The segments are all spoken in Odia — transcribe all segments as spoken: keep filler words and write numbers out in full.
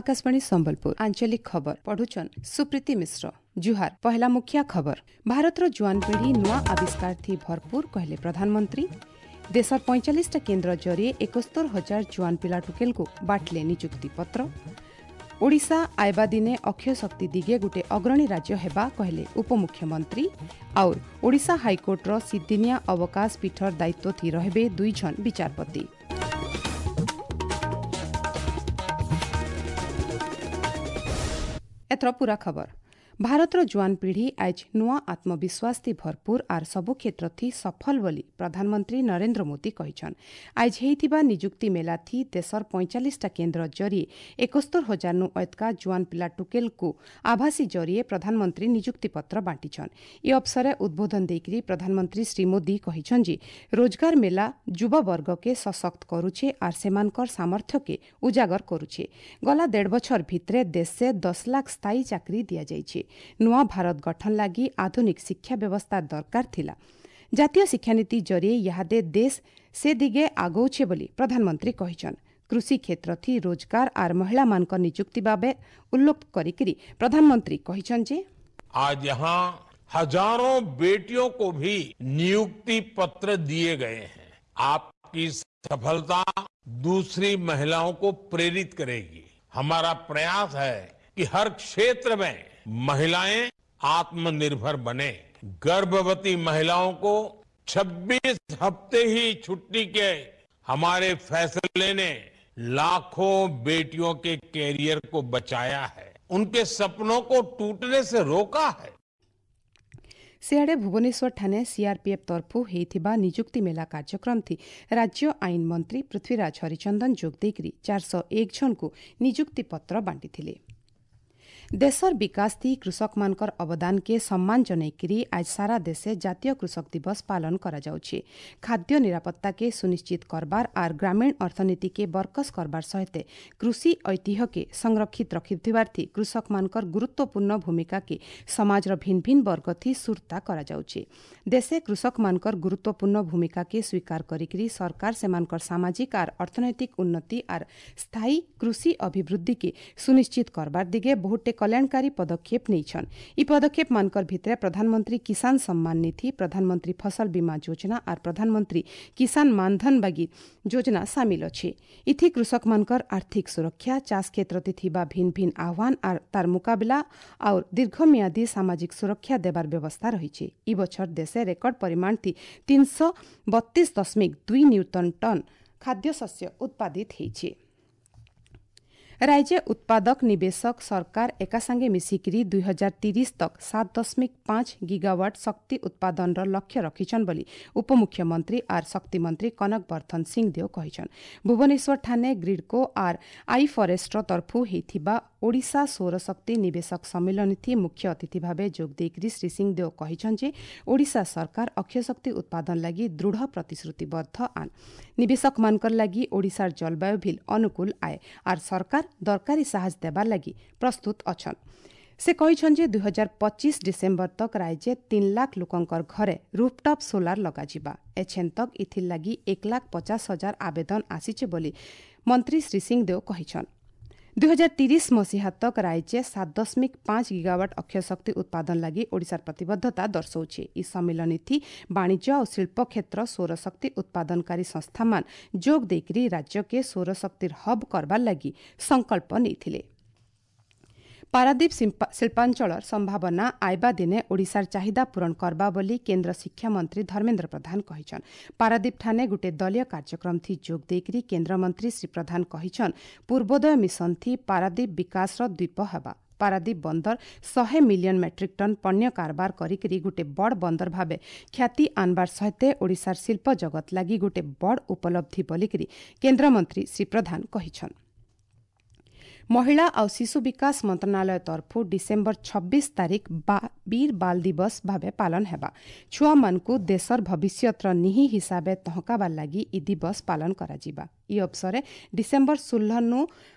ଆକାଶବାଣୀ ସମ୍ବଲପୁର ଆଞ୍ଚଳିକ ଖବର ପଢୁଛନ୍ ସୁପ୍ରୀତି ମିଶ୍ର ଜୁହାର ପହେଲା ମୁଖିଆ ଖବର ଭାରତର ଜୁଆନ ପିଢ଼ି ନୂଆ ଆବିଷ୍କାର ଥି ଭରପୁର କହିଲେ ପ୍ରଧାନମନ୍ତ୍ରୀ ଦେଶର ପଇଁଚାଳିଶଟା କେନ୍ଦ୍ର ଜରିଏ ଏକସ୍ତର ହଜାର ଜୁଆନ ପିଲା ଟୁକେଲକୁ ବାଣ୍ଟିଲେ ନିଯୁକ୍ତି ପତ୍ର ଓଡ଼ିଶା ଆଇବା ଦିନେ ଅକ୍ଷୟ ଶକ୍ତି ଦିଗେ ଗୋଟେ ଅଗ୍ରଣୀ ରାଜ୍ୟ ହେବା କହିଲେ ଉପମୁଖ୍ୟମନ୍ତ୍ରୀ ଆଉ ଓଡ଼ିଶା ହାଇକୋର୍ଟର ସିଦ୍ଦିନିଆ ଅବକାଶ ପୀଠର ଦାୟିତ୍ୱ ଥି ରହିବେ ଦୁଇ ଜଣ ବିଚାରପତି ଏଥର ପୂରା ଖବର ଭାରତର ଜୁଆନ ପିଢ଼ି ଆଜ୍ ନୂଆ ଆତ୍ମବିଶ୍ୱାସ ଥି ଭରପୁର ଆର୍ ସବୁ କ୍ଷେତ୍ର ଥି ସଫଳ ବୋଲି ପ୍ରଧାନମନ୍ତ୍ରୀ ନରେନ୍ଦ୍ର ମୋଦି କହିଛନ୍ ଆଜ୍ ହେଇଥିବା ନିଯୁକ୍ତି ମେଲା ଥି ଦେଶର ପଇଁଚାଳିଶଟା କେନ୍ଦ୍ର ଜରିଏ ଏକସ୍ତର ହଜାରନୁ ଅଏତକା ଜୁଆନ ପିଲା ଟୁକେଲକୁ ଆଭାସୀ ଜରିଏ ପ୍ରଧାନମନ୍ତ୍ରୀ ନିଯୁକ୍ତିପତ୍ର ବାଣ୍ଟିଛନ୍ ଏ ଅବସରେ ଉଦ୍ବୋଧନ ଦେଇକରି ପ୍ରଧାନମନ୍ତ୍ରୀ ଶ୍ରୀ ମୋଦି କହିଛନ୍ ଯେ ରୋଜଗାର ମେଲା ଯୁବବର୍ଗକେ ସଶକ୍ତ କରୁଛେ ଆର୍ ସେମାନଙ୍କର ସାମର୍ଥ୍ୟକେ ଉଜାଗର କରୁଛେ ଗଲା ଦେଢ଼ ବଛର ଭିତରେ ଦେଶେ ଦଶ ଲାଖ ସ୍ଥାୟୀ ଚାକିରି ଦିଆଯାଇଛି ନୂଆ ଭାରତ ଗଠନ ଲାଗି ଆଧୁନିକ ଶିକ୍ଷା ବ୍ୟବସ୍ଥା ଦରକାର ଥିଲା ଜାତୀୟ ଶିକ୍ଷାନୀତି ଜରିଏ ଇହାଦେ ଦେଶ ସେ ଦିଗେ ଆଗଉଛେ ବୋଲି ପ୍ରଧାନମନ୍ତ୍ରୀ କହିଛନ୍ କୃଷି କ୍ଷେତ୍ର ଥି ରୋଜଗାର ଆର୍ ମହିଳାମାନଙ୍କ ନିଯୁକ୍ତି ବାବେ ଉଲ୍ଲେଖ କରିକିରି ପ୍ରଧାନମନ୍ତ୍ରୀ କହିଛନ୍ ଯେ आज यहाँ हजारों बेटियों को भी नियुक्ति पत्र दिए गए हैं। आपकी सफलता दूसरी महिलाओं को प्रेरित करेगी। हमारा प्रयास है कि हर क्षेत्र में महिलाएं आत्मनिर्भर बने। गर्भवती महिलाओं को छब्बीस हफ्ते ही छुट्टी के हमारे फैसले ने लाखों बेटियों के कैरियर को बचाया है, उनके सपनों को टूटने से रोका है। ସିଆଡ଼େ ଭୁବନେଶ୍ୱରଠାରେ ସିଆର୍ପିଏଫ୍ ତରଫୁ ହେଇଥିବା ନିଯୁକ୍ତି ମେଳା କାର୍ଯ୍ୟକ୍ରମ ଥି ରାଜ୍ୟ ଆଇନ ମନ୍ତ୍ରୀ ପୃଥ୍ୱୀରାଜ ହରିଚନ୍ଦନ ଯୋଗ ଦେଇକରି ଚାରିଶହ ଏକ ଜଣଙ୍କୁ ନିଯୁକ୍ତି ପତ୍ର ବାଣ୍ଟିଥିଲେ। ଦେଶର ବିକାଶ ଥି କୃଷକମାନଙ୍କର ଅବଦାନକେ ସମ୍ମାନ ଜଣାଇକରି ଆଜ ସାରା ଦେଶେ ଜାତୀୟ କୃଷକ ଦିବସ ପାଳନ କରାଯାଉଛି। ଖାଦ୍ୟ ନିରାପତ୍ତାକେ ସୁନିଶ୍ଚିତ କରବାର ଆର୍ ଗ୍ରାମୀଣ ଅର୍ଥନୀତିକେ ବରକସ କରବାର ସହିତ କୃଷି ଐତିହ୍ୟକେ ସଂରକ୍ଷିତ ରଖିଥିବାର ଥି କୃଷକମାନଙ୍କର ଗୁରୁତ୍ୱପୂର୍ଣ୍ଣ ଭୂମିକାକେ ସମାଜର ଭିନ୍ନ ଭିନ୍ନ ବର୍ଗ ଥି ସୁରତା କରାଯାଉଛି। ଦେଶେ କୃଷକମାନଙ୍କର ଗୁରୁତ୍ୱପୂର୍ଣ୍ଣ ଭୂମିକାକେ ସ୍ୱୀକାର କରିକରି ସରକାର ସେମାନଙ୍କର ସାମାଜିକ ଆର୍ ଅର୍ଥନୈତିକ ଉନ୍ନତି ଆର୍ ସ୍ଥାୟୀ କୃଷି ଅଭିବୃଦ୍ଧିକେ ସୁନିଶ୍ଚିତ କରବାର ଦିଗେ ବହୁଟେ କଲ୍ୟାଣକାରୀ ପଦକ୍ଷେପ ନେଇଛନ୍। ଇ ପଦକ୍ଷେପ ମାନଙ୍କର ଭିତରେ ପ୍ରଧାନମନ୍ତ୍ରୀ କିଷାନ ସମ୍ମାନ ନିଧି, ପ୍ରଧାନମନ୍ତ୍ରୀ ଫସଲ ବୀମା ଯୋଜନା ଆର୍ ପ୍ରଧାନମନ୍ତ୍ରୀ କିଷାନ ମାନଧନ ବାଗି ଯୋଜନା ସାମିଲ ଅଛି। ଇଥି କୃଷକମାନଙ୍କର ଆର୍ଥିକ ସୁରକ୍ଷା, ଚାଷ କ୍ଷେତ୍ରରେ ଥିବା ଭିନ୍ନ ଭିନ୍ନ ଆହ୍ୱାନ ଆର୍ ତାର ମୁକାବିଲା ଆଉ ଦୀର୍ଘମିଆଦୀ ସାମାଜିକ ସୁରକ୍ଷା ଦେବାର ବ୍ୟବସ୍ଥା ରହିଛି। ଇ ବଛର ଦେଶେ ରେକର୍ଡ ପରିମାଣ ଥି ତିନିଶହ ବତିଶ ଦଶମିକ ଦୁଇ ନିୟୁତ ଟନ୍ ଖାଦ୍ୟଶସ୍ୟ ଉତ୍ପାଦିତ ହେଇଛି। ରାଜ୍ୟ ଉତ୍ପାଦକ ନିବେଶକ ସରକାର ଏକାସାଙ୍ଗେ ମିଶିକିରି ଦୁଇ ହଜାର ତିରିଶ ତକ ସାତ ଦଶମିକ ପାଞ୍ଚ ଗିଗାୱାଟ ଶକ୍ତି ଉତ୍ପାଦନର ଲକ୍ଷ୍ୟ ରଖିଛନ୍ ବୋଲି ଉପମୁଖ୍ୟମନ୍ତ୍ରୀ ଆର୍ ଶକ୍ତିମନ୍ତ୍ରୀ କନକ ବର୍ଦ୍ଧନ ସିଂଦେଓ କହିଛନ୍। ଭୁବନେଶ୍ୱରଠାରେ ଗ୍ରିଡ୍କୋ ଆର୍ I forester ତରଫୁ ହେଇଥିବା ଓଡ଼ିଶା ସୌରଶକ୍ତି ନିବେଶକ ସମ୍ମିଳନୀ ମୁଖ୍ୟ ଅତିଥି ଭାବେ ଯୋଗ ଦେଇକରି ଶ୍ରୀ ସିଂଦେଓ କହିଛନ୍ ଯେ ଓଡ଼ିଶା ସରକାର ଅକ୍ଷୟ ଶକ୍ତି ଉତ୍ପାଦନ ଲାଗି ଦୃଢ଼ ପ୍ରତିଶ୍ରୁତିବଦ୍ଧ ଆନ୍। ନିବେଶକମାନଙ୍କର ଲାଗି ଓଡ଼ିଶାର ଜଳବାୟୁ ଭିଲ୍ ଅନୁକୂଳ ଆଏ ଆର୍ ସରକାର ଦରକାରୀ ସାହାଯ୍ୟ ଦେବାର ଲାଗି ପ୍ରସ୍ତୁତ ଅଛନ୍। ସେ କହିଛନ୍ ଯେ ଦୁଇ ହଜାର ପଚିଶ ଡିସେମ୍ବର ତକ ରାଜ୍ୟ ତିନି ଲାଖ ଲୋକଙ୍କର ଘରେ ରୁଫଟପ୍ ସୋଲାର ଲଗାଯିବା। ଏଛେନ୍ ତକ ଇଥିର୍ ଲାଗି ଏକ ଲାଖ ପଚାଶ ହଜାର ଆବେଦନ ଆସିଛେ ବୋଲି ମନ୍ତ୍ରୀ ଶ୍ରୀ ସିଂଦେଓ କହିଛନ୍। ଦୁଇ ହଜାର ତିରିଶ ମସିହା ତକ ରାଜ୍ୟ ସାତ ଦଶମିକ ପାଞ୍ଚ ଗିଗାୱାଟ ଅକ୍ଷୟ ଶକ୍ତି ଉତ୍ପାଦନ ଲାଗି ଓଡ଼ିଶାର ପ୍ରତିବଦ୍ଧତା ଦର୍ଶାଉଛି। ଇ ସମ୍ମିଳନୀ ଥି ବାଣିଜ୍ୟ ଆଉ ଶିଳ୍ପ କ୍ଷେତ୍ର ସୌରଶକ୍ତି ଉତ୍ପାଦନକାରୀ ସଂସ୍ଥାମାନ ଯୋଗ ଦେଇକରି ରାଜ୍ୟକେ ସୌରଶକ୍ତିର ହବ୍ କରବାର ଲାଗି ସଂକଳ୍ପ ନେଇଥିଲେ। ପାରାଦୀପ ଶିଳ୍ପାଞ୍ଚଳର ସମ୍ଭାବନା ଆଇବା ଦିନେ ଓଡ଼ିଶାର ଚାହିଦା ପୂରଣ କରବା ବୋଲି କେନ୍ଦ୍ର ଶିକ୍ଷାମନ୍ତ୍ରୀ ଧର୍ମେନ୍ଦ୍ର ପ୍ରଧାନ କହିଛନ୍। ପାରାଦୀପଠାରେ ଗୋଟିଏ ଦଳୀୟ କାର୍ଯ୍ୟକ୍ରମ ଥି ଯୋଗ ଦେଇକରି କେନ୍ଦ୍ରମନ୍ତ୍ରୀ ଶ୍ରୀ ପ୍ରଧାନ କହିଛନ୍ ପୂର୍ବୋଦୟ ମିଶନ ଥି ପାରାଦୀପ ବିକାଶର ଦ୍ୱୀପ ହେବା। ପାରାଦୀପ ବନ୍ଦର ଶହେ ମିଲିୟନ ମେଟ୍ରିକ୍ ଟନ୍ ପଣ୍ୟ କାରବାର କରିକରି ଗୋଟିଏ ବଡ଼ ବନ୍ଦର ଭାବେ ଖ୍ୟାତି ଆନବାର ସହିତ ଓଡ଼ିଶାର ଶିଳ୍ପ ଜଗତ ଲାଗି ଗୋଟିଏ ବଡ଼ ଉପଲବ୍ଧି ବୋଲିକରି କେନ୍ଦ୍ରମନ୍ତ୍ରୀ ଶ୍ରୀ ପ୍ରଧାନ କହିଛନ୍। ମହିଳା ଆଉ ଶିଶୁ ବିକାଶ ମନ୍ତ୍ରଣାଳୟ ତରଫୁ ଡିସେମ୍ବର ଛବିଶ ତାରିଖ ବୀର ବାଲ ଦିବସ ଭାବେ ପାଳନ ହେବା। ଛୁଆମାନଙ୍କୁ ଦେଶର ଭବିଷ୍ୟତର ନିହି ହିସାବେ ତହକାବାର ଲାଗି ଇ ଦିବସ ପାଳନ କରାଯିବା। ଇ ଅବସରେ ଡିସେମ୍ବର ଷୋହଳନୁ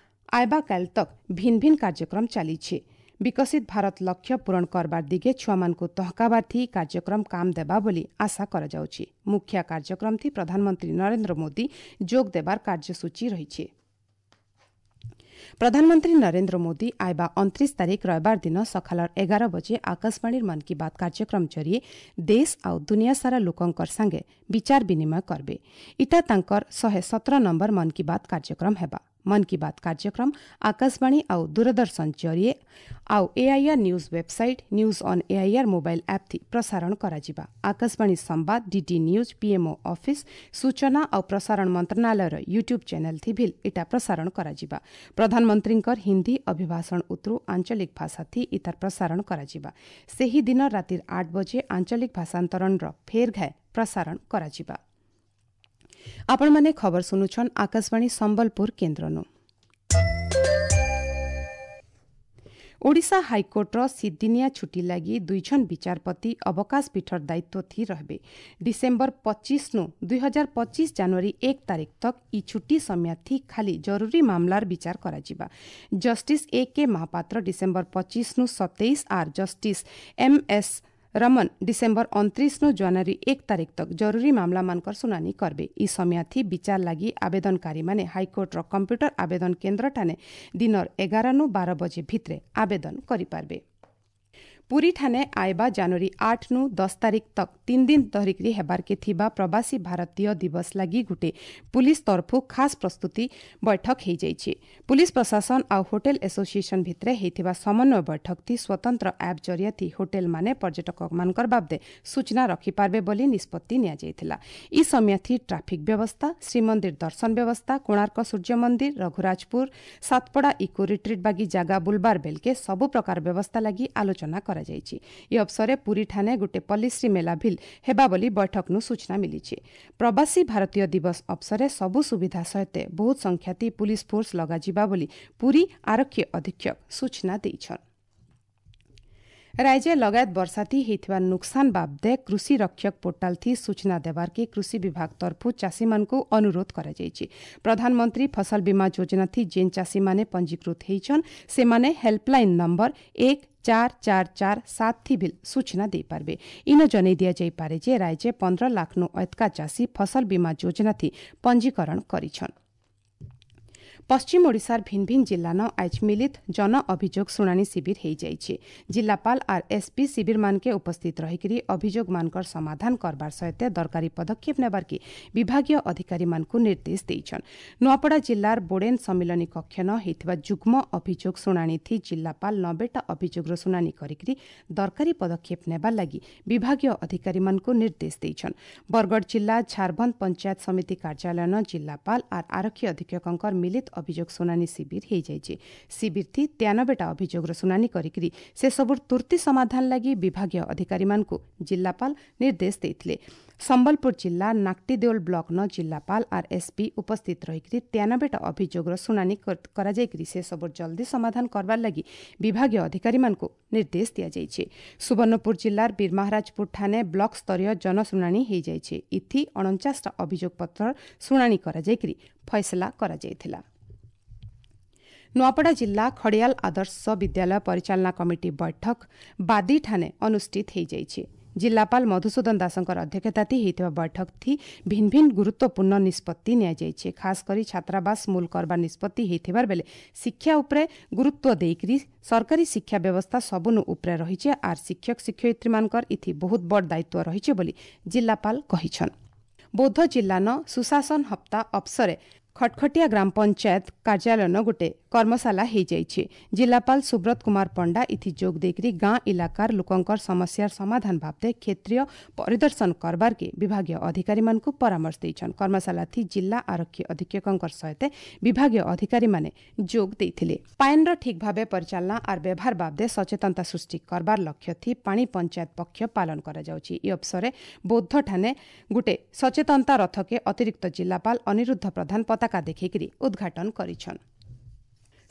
ଆଇବା କାଲ ତକ ଭିନ୍ନ ଭିନ୍ନ କାର୍ଯ୍ୟକ୍ରମ ଚାଲିଛି। ବିକଶିତ ଭାରତ ଲକ୍ଷ୍ୟ ପୂରଣ କରବାର ଦିଗେ ଛୁଆମାନଙ୍କୁ ତହକାବାର ଥି କାର୍ଯ୍ୟକ୍ରମ କାମ ଦେବା ବୋଲି ଆଶା କରାଯାଉଛି। ମୁଖ୍ୟ କାର୍ଯ୍ୟକ୍ରମ ଥି ପ୍ରଧାନମନ୍ତ୍ରୀ ନରେନ୍ଦ୍ର ମୋଦି ଯୋଗ ଦେବାର କାର୍ଯ୍ୟସୂଚୀ ରହିଛି। ପ୍ରଧାନମନ୍ତ୍ରୀ ନରେନ୍ଦ୍ର ମୋଦି ଆଇବା ଅଣତିରିଶ ତାରିଖ ରବିବାର ଦିନ ସକାଳ ଏଗାର ବଜେ ଆକାଶବାଣୀର ମନ୍ କି ବାତ୍ କାର୍ଯ୍ୟକ୍ରମ ଜରିଏ ଦେଶ ଆଉ ଦୁନିଆ ସାରା ଲୋକଙ୍କର ସାଙ୍ଗେ ବିଚାର ବିନିମୟ କରବେ। ଇଟା ତାଙ୍କର ଶହେ ସତର ନମ୍ବର ମନ୍ କି ବାତ୍ କାର୍ଯ୍ୟକ୍ରମ ହେବା। ମନ୍ କି ବାତ୍ କାର୍ଯ୍ୟକ୍ରମ ଆକାଶବାଣୀ ଆଉ ଦୂରଦର୍ଶନ ଜରିଏ ଆଉ AIR news website, news on AIR mobile app ଥି ପ୍ରସାରଣ କରାଯିବା। ଆକାଶବାଣୀ ସମ୍ବାଦ, ଡିଡି ନ୍ୟୁଜ୍, ପିଏମ୍ଓ ଅଫିସ୍, ସୂଚନା ଆଉ ପ୍ରସାରଣ ମନ୍ତ୍ରଣାଳୟର ୟୁଟ୍ୟୁବ୍ ଚ୍ୟାନେଲ୍ ଥି ଭିଲ୍ ଇଟା ପ୍ରସାରଣ କରାଯିବା। ପ୍ରଧାନମନ୍ତ୍ରୀଙ୍କର ହିନ୍ଦୀ ଅଭିଭାଷଣ ଉତରୁ ଆଞ୍ଚଳିକ ଭାଷା ଥି ଇତାର ପ୍ରସାରଣ କରାଯିବା। ସେହି ଦିନ ରାତିର ଆଠ ବଜେ ଆଞ୍ଚଳିକ ଭାଷାନ୍ତରଣର ଫେର୍ ଘାଏ ପ୍ରସାରଣ କରାଯିବା। ଆପଣମାନେ ଖବର ଶୁଣୁଛନ୍ ଆକାଶବାଣୀ ସମ୍ବଲପୁର କେନ୍ଦ୍ରନୁ। ଓଡ଼ିଶା ହାଇକୋର୍ଟର ସିଦ୍ଦିନିଆ ଛୁଟି ଲାଗି ଦୁଇଜଣ ବିଚାରପତି ଅବକାଶ ପୀଠର ଦାୟିତ୍ୱ ଥି ରହିବେ। ଡିସେମ୍ବର ପଚିଶନୁ ଦୁଇ ହଜାର ପଚିଶ ଜାନୁଆରୀ ଏକ ତାରିଖ ତକ୍ ଇ ଛୁଟି ସମୟାଥି ଖାଲି ଜରୁରୀ ମାମଲାର ବିଚାର କରାଯିବା। Justice A K Mahapatra December ପଚିଶନୁ ସତେଇଶ ଆର୍ justice M S Raman December ଅଣତିରିଶନୁ ଜାନୁଆରୀ ଏକ ତାରିଖ ତକ୍ ଜରୁରୀ ମାମଲାମାନଙ୍କର ଶୁଣାଣି କରବେ। ଇ ସମୟାଥି ବିଚାର ଲାଗି ଆବେଦନକାରୀମାନେ ହାଇକୋର୍ଟର କମ୍ପ୍ୟୁଟର ଆବେଦନ କେନ୍ଦ୍ରଠାନେ ଦିନର ଏଗାରନୁ ବାର ବଜେ ଭିତରେ ଆବେଦନ କରିପାରବେ। ପୁରୀଠାନେ ଆଇବା ଜାନୁଆରୀ ଆଠନୁ ଦଶ ତାରିଖ ତକ୍ ତିନି ଦିନ ଧରିକରି ହେବାର୍କେ ଥିବା ପ୍ରବାସୀ ଭାରତୀୟ ଦିବସ ଲାଗି ଗୁଟେ ପୁଲିସ ତରଫୁ ଖାସ୍ ପ୍ରସ୍ତୁତି ବୈଠକ ହେଇଯାଇଛି। ପୁଲିସ ପ୍ରଶାସନ ଆଉ ହୋଟେଲ ଆସୋସିଏସନ ଭିତରେ ହେଇଥିବା ସମନ୍ୱୟ ବୈଠକ ଥି ସ୍ୱତନ୍ତ୍ର ଆପ୍ ଜରିଆଥି ହୋଟେଲମାନେ ପର୍ଯ୍ୟଟକମାନଙ୍କର ବାବଦେ ସୂଚନା ରଖିପାରବେ ବୋଲି ନିଷ୍ପତ୍ତି ନିଆଯାଇଥିଲା। ଇ ସମୟାଥି ଟ୍ରାଫିକ୍ ବ୍ୟବସ୍ଥା, ଶ୍ରୀମନ୍ଦିର ଦର୍ଶନ ବ୍ୟବସ୍ଥା, କୋଣାର୍କ ସୂର୍ଯ୍ୟ ମନ୍ଦିର, ରଘୁରାଜପୁର, ସାତପଡ଼ା ଇକୋ ରିଟ୍ରିଟ୍ ବାଗି ଜାଗା ବୁଲବାର ବେଲକେ ସବୁ ପ୍ରକାର ବ୍ୟବସ୍ଥା ଲାଗି ଆଲୋଚନା କରାଯାଇଛି। ଏ ଅବସରେ ପୁରୀଠାନେ ଗୋଟେ ପଲ୍ଲୀଶ୍ରୀ ମେଲା ଭିଲ୍ ହେବା ବୋଲି ବୈଠକନୁ ସୂଚନା ମିଳିଛି। ପ୍ରବାସୀ ଭାରତୀୟ ଦିବସ ଅବସରେ ସବୁ ସୁବିଧା ସହିତ ବହୁତ ସଂଖ୍ୟାତି ପୁଲିସ ଫୋର୍ସ ଲଗାଯିବା ବୋଲି ପୁରୀ ଆରକ୍ଷୀ ଅଧୀକ୍ଷକ ସୂଚନା ଦେଇଛନ୍। ରାଜ୍ୟ ଲଗାୟତ ବର୍ଷାଥି ହେଇଥିବା ନୁକସାନ ବାବଦେ କୃଷି ରକ୍ଷକ ପୋର୍ଟାଲ ଥି ସୂଚନା ଦେବାର୍କେ କୃଷି ବିଭାଗ ତରଫୁ ଚାଷୀମାନଙ୍କୁ ଅନୁରୋଧ କରାଯାଇଛି। ପ୍ରଧାନମନ୍ତ୍ରୀ ଫସଲ ବୀମା ଯୋଜନା ଥି ଯେନ୍ ଚାଷୀମାନେ ପଞ୍ଜୀକୃତ ହେଇଛନ୍ ସେମାନେ ହେଲ୍ପଲାଇନ୍ ନମ୍ବର ଏକ ଚାର ଚାର ଚାର ସାତ ଥି ଭିଲ୍ ସୂଚନା ଦେଇପାରିବେ। ଇନ ଜଣାଇ ଦିଆଯାଇପାରେ ଯେ ରାଜ୍ୟ ପନ୍ଦର ଲାଖନୁ ଅଏତକା ଚାଷୀ ଫସଲ ବୀମା ଯୋଜନା ଥି ପଞ୍ଜୀକରଣ କରିଛନ୍। ପଶ୍ଚିମ ଓଡ଼ିଶାର ଭିନ୍ ଭିନ୍ ଜିଲ୍ଲାନ ଆଜ୍ ମିଳିତ ଜନ ଅଭିଯୋଗ ଶୁଣାଣି ଶିବିର ହେଇଯାଇଛି। ଜିଲ୍ଲାପାଳ ଆର୍ ଏସ୍ପି ଶିବିରମାନକେ ଉପସ୍ଥିତ ରହିକରି ଅଭିଯୋଗମାନଙ୍କର ସମାଧାନ କରବାର ସହିତ ଦରକାରୀ ପଦକ୍ଷେପ ନେବାର୍କେ ବିଭାଗୀୟ ଅଧିକାରୀମାନଙ୍କୁ ନିର୍ଦ୍ଦେଶ ଦେଇଛନ୍। ନୂଆପଡ଼ା ଜିଲ୍ଲାର ବୋଡେନ୍ ସମ୍ମିଳନୀ କକ୍ଷନ ହେଇଥିବା ଯୁଗ୍ମ ଅଭିଯୋଗ ଶୁଣାଣି ଥି ଜିଲ୍ଲାପାଳ ନବେଟା ଅଭିଯୋଗର ଶୁଣାଣି କରିକରି ଦରକାରୀ ପଦକ୍ଷେପ ନେବାର ଲାଗି ବିଭାଗୀୟ ଅଧିକାରୀମାନଙ୍କୁ ନିର୍ଦ୍ଦେଶ ଦେଇଛନ୍। ବରଗଡ଼ ଜିଲ୍ଲା ଝାରବନ୍ଦ ପଞ୍ଚାୟତ ସମିତି କାର୍ଯ୍ୟାଳୟନ ଜିଲ୍ଲାପାଳ ଆର୍ ଆରକ୍ଷୀ ଅଧୀକ୍ଷକଙ୍କର ମିଳିତ ଅଭିଯୋଗ ଶୁଣାଣି ଶିବିର ହେଇଯାଇଛି। ଶିବିର ଥି ତେୟାନବେଟା ଅଭିଯୋଗର ଶୁଣାଣି କରିକରି ସେସବୁର ତୁର୍ତ୍ତି ସମାଧାନ ଲାଗି ବିଭାଗୀୟ ଅଧିକାରୀମାନଙ୍କୁ ଜିଲ୍ଲାପାଳ ନିର୍ଦ୍ଦେଶ ଦେଇଥିଲେ। ସମ୍ବଲପୁର ଜିଲ୍ଲା ନାକ୍ଟିଦେଉଲ ବ୍ଲକନ ଜିଲ୍ଲାପାଳ ଆର୍ ଏସ୍ପି ଉପସ୍ଥିତ ରହିକରି ତେୟାନବେଟା ଅଭିଯୋଗର ଶୁଣାଣି କରାଯାଇକରି ସେସବୁର ଜଲ୍ଦି ସମାଧାନ କରବାର ଲାଗି ବିଭାଗୀୟ ଅଧିକାରୀମାନଙ୍କୁ ନିର୍ଦ୍ଦେଶ ଦିଆଯାଇଛି। ସୁବର୍ଣ୍ଣପୁର ଜିଲ୍ଲାର ବୀରମହାରାଜପୁର ଠାନେ ବ୍ଲକ ସ୍ତରୀୟ ଜନଶୁଣାଣି ହେଇଯାଇଛି। ଇଥି ଅଣଚାଶଟା ଅଭିଯୋଗ ପତ୍ର ଶୁଣାଣି କରାଯାଇକରି ଫଇସଲା କରାଯାଇଥିଲା। ନୂଆପଡ଼ା ଜିଲ୍ଲା ଖଡ଼ିଆଲ ଆଦର୍ଶ ବିଦ୍ୟାଳୟ ପରିଚାଳନା କମିଟି ବୈଠକ ବାଦିଠାନେ ଅନୁଷ୍ଠିତ ହୋଇଯାଇଛି। ଜିଲ୍ଲାପାଳ ମଧୁସୂଦନ ଦାସଙ୍କର ଅଧ୍ୟକ୍ଷତାଥି ହେଇଥିବା ବୈଠକଥି ଭିନ୍ ଭିନ୍ ଗୁରୁତ୍ୱପୂର୍ଣ୍ଣ ନିଷ୍ପତ୍ତି ନିଆଯାଇଛି। ଖାସ୍ କରି ଛାତ୍ରାବାସ ମୂଲ କରବା ନିଷ୍ପତ୍ତି ହେଇଥିବାର ବେଲେ ଶିକ୍ଷା ଉପରେ ଗୁରୁତ୍ୱ ଦେଇକରି ସରକାରୀ ଶିକ୍ଷା ବ୍ୟବସ୍ଥା ସବୁନୁ ଉପରେ ରହିছে ଆର୍ ଶିକ୍ଷକ ଶିକ୍ଷୟିତ୍ରୀମାନଙ୍କର ଇଥି ବହୁତ ବଡ଼ ଦାୟିତ୍ୱ ରହିছে ବୋଲି ଜିଲ୍ଲାପାଳ କହିଛନ୍। ବୌଦ୍ଧ ଜିଲ୍ଲାନ ସୁଶାସନ ହପ୍ତା ଅବସରେ ଖଟଖଟିଆ ଗ୍ରାମ ପଞ୍ଚାୟତ କାର୍ଯ୍ୟାଳୟନ ଗୋଟେ କର୍ମଶାଳା ହେଇଯାଇଛି। ଜିଲ୍ଲାପାଳ ସୁବ୍ରତ କୁମାର ପଣ୍ଡା ଇଥି ଯୋଗ ଦେଇକରି ଗାଁ ଇଲାକାର ଲୋକଙ୍କର ସମସ୍ୟାର ସମାଧାନ ବାବଦେ କ୍ଷେତ୍ରୀୟ ପରିଦର୍ଶନ କରବାର୍କେ ବିଭାଗୀୟ ଅଧିକାରୀମାନଙ୍କୁ ପରାମର୍ଶ ଦେଇଛନ୍। କର୍ମଶାଳା ଥି ଜିଲ୍ଲା ଆରକ୍ଷୀ ଅଧୀକ୍ଷକଙ୍କର ସହିତ ବିଭାଗୀୟ ଅଧିକାରୀମାନେ ଯୋଗ ଦେଇଥିଲେ। ପାଏନ୍ର ଠିକ୍ ଭାବେ ପରିଚାଳନା ଆର୍ ବ୍ୟବହାର ବାବଦେ ସଚେତନତା ସୃଷ୍ଟି କରବାର ଲକ୍ଷ୍ୟ ଥି ପାଣି ପଞ୍ଚାୟତ ପକ୍ଷ ପାଳନ କରାଯାଉଛି। ଇ ଅବସରେ ବୌଦ୍ଧଠାନେ ଗୋଟେ ସଚେତନତା ରଥକେ ଅତିରିକ୍ତ ଜିଲ୍ଲାପାଳ ଅନିରୁଦ୍ଧ ପ୍ରଧାନ ପତାକା ଦେଖେଇକରି ଉଦ୍ଘାଟନ କରିଛନ୍।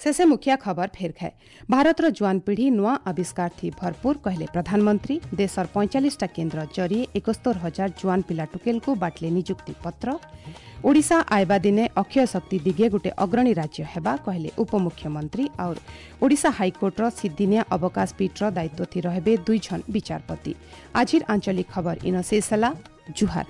ଶେଷେ ମୁଖିଆ ଖବର ଫେର ଖାଏ। ଭାରତର ଜୁଆନ ପିଢ଼ି ନୂଆ ଆବିଷ୍କାର ଥି ଭରପୁର କହିଲେ ପ୍ରଧାନମନ୍ତ୍ରୀ। ଦେଶର ପଇଁଚାଳିଶଟା କେନ୍ଦ୍ର ଜରିଏ ଏକସ୍ତର ହଜାର ଜୁଆନ ପିଲା ଟୁକେଲକୁ ବାଟଲେ ନିଯୁକ୍ତି ପତ୍ର। ଓଡ଼ିଶା ଆଇବା ଦିନେ ଅକ୍ଷୟ ଶକ୍ତି ଦିଗେ ଗୋଟେ ଅଗ୍ରଣୀ ରାଜ୍ୟ ହେବା କହିଲେ ଉପମୁଖ୍ୟମନ୍ତ୍ରୀ। ଆଉ ଓଡ଼ିଶା ହାଇକୋର୍ଟର ସିଦ୍ଦିନିଆ ଅବକାଶ ପୀଠର ଦାୟିତ୍ୱ ଥି ରହିବେ ଦୁଇଜଣ ବିଚାରପତି। ଆଜିର ଆଞ୍ଚଳିକ ଖବର ଇନ ଶେଷ ହେଲା। ଜୁହାର।